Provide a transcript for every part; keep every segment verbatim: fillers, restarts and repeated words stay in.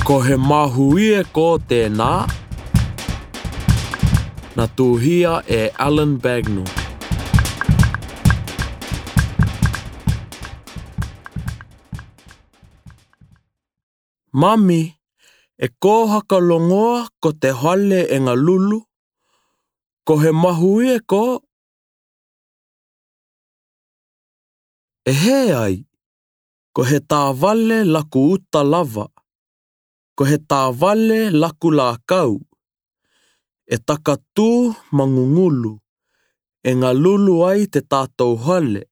Ko he mahuie ko tēnā. Na tūhia e Alan Bagnall. Mami, e kō haka longoa ko te hale e Galulu, ko he mahuie ko? E hē ai, ko he tāvale laku uta lava, ko he tāvale laku lākau, e takatū ma gugulu, e Galulu ai te tātou hale.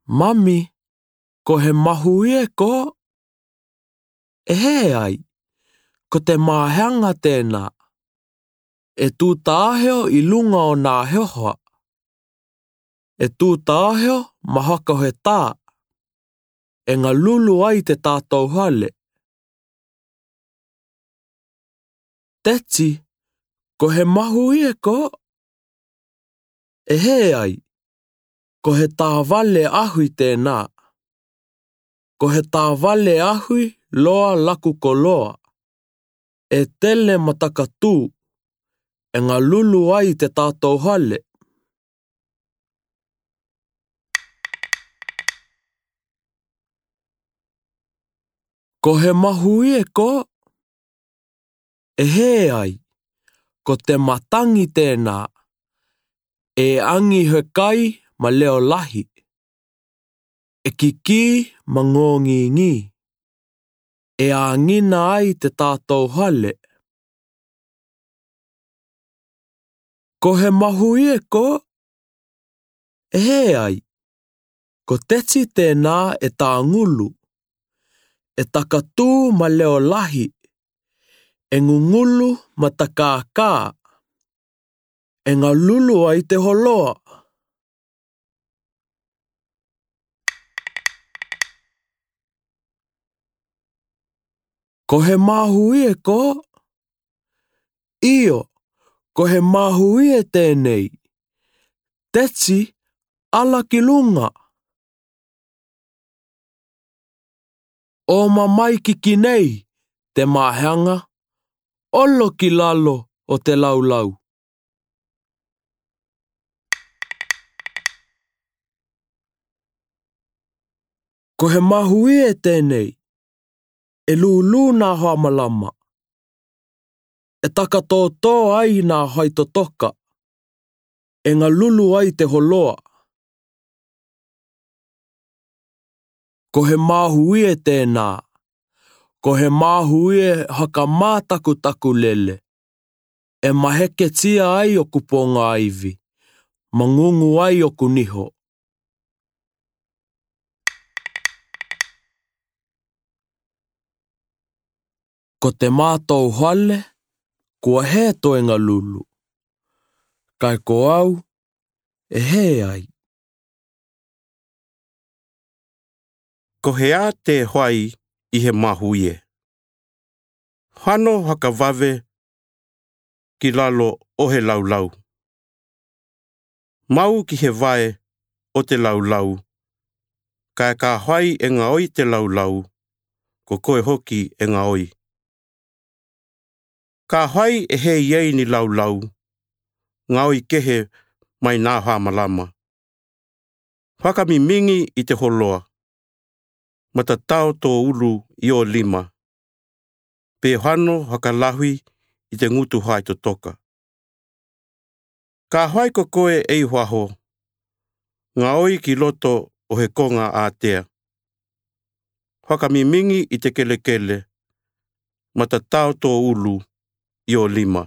Mami, ko he mahuie ko? E hē ai, ko te māheaga tēnā. E tū tāheo i luga o nā heoha. E tū tāheo ma haka he tā. E Galulu ai te tātou hale. Teti, ko he mahuie ko? E hē ai, ko he tāvale ahui tēnā. Ko he tāvale ahui loa laku koloa. E tele ma takatū, e Galulu ai te tātou hale. Ko he mahuie ko? E hē ai, ko te matangi tēnā. E agi he kai ma leo lahi. E kikī ma gōgīgī. E agina ai te tātou hale. Ko he mahuie ko? E hē ai, ko teti tēnā e tāgulu. E takatū ma leo lahi. E gugulu ma takākā. E Galulu ai te holoa. Ko he mahuie ko? Io, ko he mahuie tēnei. Teti, ala ki luga. O mamai ki kinei te māheaga, olo ki lalo o te laulau. Ko he mahuie tēnei, e lūlū nā hoa malama. E takatōtō ai nā hoa totoka. E Galulu ai te holoa. Ko he mahuie tēnā. Ko he mahuie haka mātakutaku lele. E maheketia ai oku ponga ivi. Ma gugu ai oku niho. Ko te mātou hale, kua hē tō e Galulu. Kae ko au, e hē ai. Ko he ā te hoai i he mahuie? Hano haka vave ki lalo o he laulau. Mau ki he vae o te laulau. Kae ka hoai e gaoi te laulau, ko koe hoki e gaoi. Ka hoai e hē i ei ni laulau, gaoi kehe mai nā hoa malama. Fakamimigi i te holoa, ma tatao tō ulu i ō lima, pe hano haka lahi i te gutu hoa totoka. Ka hoai ko koe ei hoaho, gaoi ki loto o he koga ātea. Fakamimigi i te kelekele, ma tatao tō ulu i ō lima.